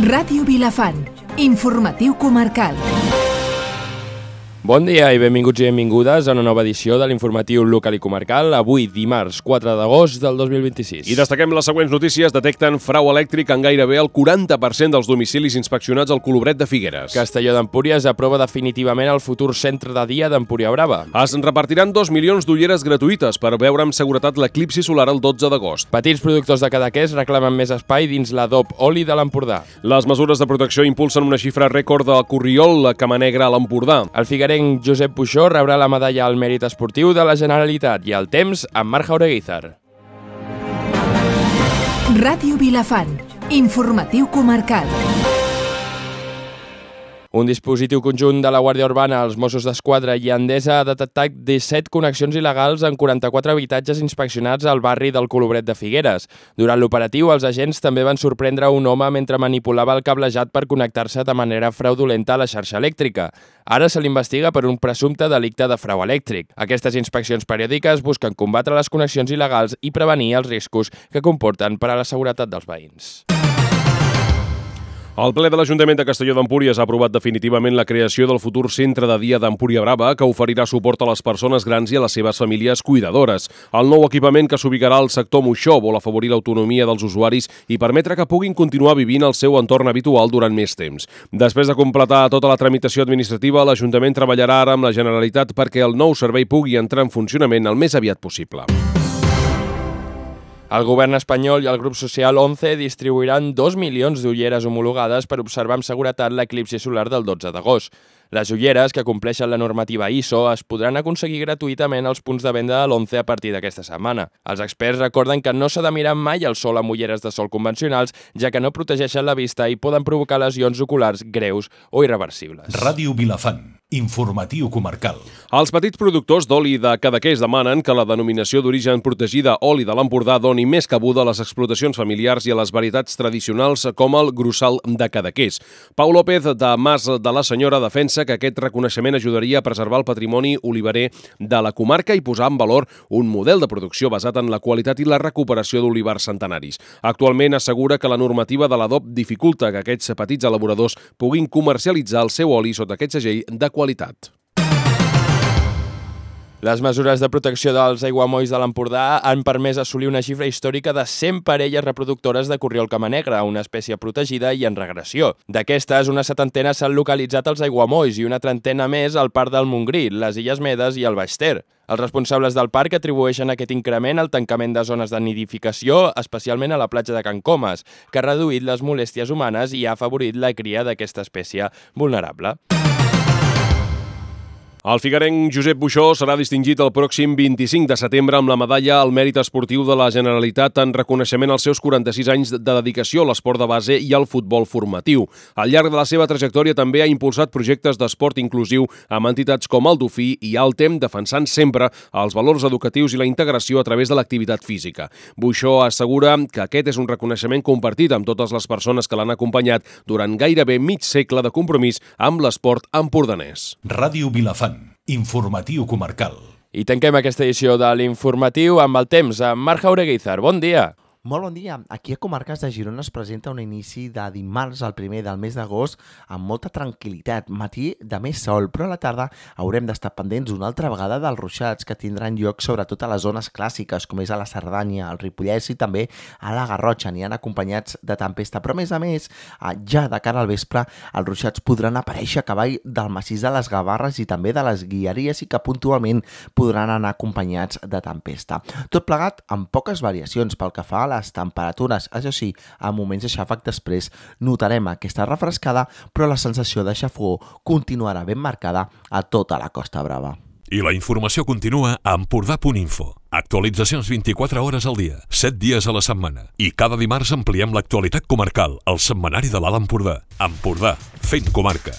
Ràdio Vilafant, informatiu comarcal. Bon dia i benvinguts i benvingudes a una nova edició de l'informatiu local i comarcal, avui dimarts 4 d'agost del 2026. I destaquem les següents notícies. Detecten frau elèctric en gairebé el 40% dels domicilis inspeccionats al Colobret de Figueres. Castelló d'Empúries aprova definitivament el futur centre de dia d'Empúria Brava. Es repartiran 2 milions d'ulleres gratuïtes per veure amb seguretat l'eclipsi solar el 12 d'agost. Petits productors de Cadaqués reclamen més espai dins l'Adob Oli de l'Empordà. Les mesures de protecció impulsen una xifra rècord del Corriol, la Cama Negra a l'Empordà. El figuerenc Josep Puixó rebrà la medalla al mèrit esportiu de la Generalitat i el temps amb Marc Jaureguizar. Ràdio Vilafant, informatiu comarcal. Un dispositiu conjunt de la Guàrdia Urbana, els Mossos d'Esquadra i Endesa ha detectat 17 connexions il·legals en 44 habitatges inspeccionats al barri del Colobret de Figueres. Durant l'operatiu, els agents també van sorprendre un home mentre manipulava el cablejat per connectar-se de manera fraudulenta a la xarxa elèctrica. Ara se l'investiga per un presumpte delicte de frau elèctric. Aquestes inspeccions periòdiques busquen combatre les connexions il·legals i prevenir els riscos que comporten per a la seguretat dels veïns. El ple de l'Ajuntament de Castelló d'Empúries ha aprovat definitivament la creació del futur centre de dia d'Empúria Brava, que oferirà suport a les persones grans i a les seves famílies cuidadores. El nou equipament, que s'ubicarà al sector Moixó, vol afavorir l'autonomia dels usuaris i permetre que puguin continuar vivint el seu entorn habitual durant més temps. Després de completar tota la tramitació administrativa, l'Ajuntament treballarà ara amb la Generalitat perquè el nou servei pugui entrar en funcionament el més aviat possible. El govern espanyol i el grup social 11 distribuiran 2 milions d'ulleres homologades per observar amb seguretat l'eclipsi solar del 12 d'agost. Les ulleres, que compleixen la normativa ISO, es podran aconseguir gratuïtament als punts de venda de l'11 a partir d'aquesta setmana. Els experts recorden que no s'ha de mirar mai el sol amb ulleres de sol convencionals, ja que no protegeixen la vista i poden provocar lesions oculars greus o irreversibles. Ràdio Vilafant, informatiu comarcal. Els petits productors d'oli de Cadaqués demanen que la denominació d'origen protegida oli de l'Empordà doni més cabuda a les explotacions familiars i a les varietats tradicionals com el Grussal de Cadaqués. Pau López, de Mas de la Senyora, defensa que aquest reconeixement ajudaria a preservar el patrimoni oliverer de la comarca i posar en valor un model de producció basat en la qualitat i la recuperació d'olivars centenaris. Actualment assegura que la normativa de l'ADOP dificulta que aquests petits elaboradors puguin comercialitzar el seu oli sota aquest segell de qualitat. Les mesures de protecció dels aiguamolls de l'Empordà han permès assolir una xifra històrica de 100 parelles reproductores de corriol cama negra, una espècie protegida i en regressió. D'aquestes, una setantena s'han localitzat als aiguamolls i una trentena més al Parc del Montgrí, les Illes Medes i el Baix Ter. Els responsables del parc atribueixen aquest increment al tancament de zones de nidificació, especialment a la platja de Can Comes, que ha reduït les molèsties humanes i ha afavorit la cria d'aquesta espècie vulnerable. El figuerenc Josep Puixó serà distingit el pròxim 25 de setembre amb la medalla al mèrit esportiu de la Generalitat en reconeixement als seus 46 anys de dedicació a l'esport de base i al futbol formatiu. Al llarg de la seva trajectòria també ha impulsat projectes d'esport inclusiu amb entitats com el Dofí i Altem, defensant sempre els valors educatius i la integració a través de l'activitat física. Puixó assegura que aquest és un reconeixement compartit amb totes les persones que l'han acompanyat durant gairebé mig segle de compromís amb l'esport empordanès. Ràdio Vilafant, informatiu comarcal. I tanquem aquesta edició de l'informatiu amb el temps, amb Marc Jaureguizar. Bon dia! Molt bon dia. Aquí a Comarques de Girona es presenta un inici de dimarts, el primer del mes d'agost, amb molta tranquil·litat. Matí de més sol, però a la tarda haurem d'estar pendents una altra vegada dels ruixats que tindran lloc sobretot a les zones clàssiques, com és a la Cerdanya, al Ripollès i també a la Garrotxa. N'hi han acompanyats de tempesta, però a més, ja de cara al vespre, els ruixats podran aparèixer a cavall del massís de les Gavarres i també de les Guilleries i que puntualment podran anar acompanyats de tempesta. Tot plegat amb poques variacions pel que fa a les temperatures. Això sí, a moments de xàfec després notarem aquesta refrescada, però la sensació de xafogor continuarà ben marcada a tota la Costa Brava. I la informació continua a Empordà.info. Actualitzacions 24 hores al dia, 7 dies a la setmana. I cada dimarts ampliem l'actualitat comarcal, al setmanari de l'Alt Empordà. Empordà, fent comarca.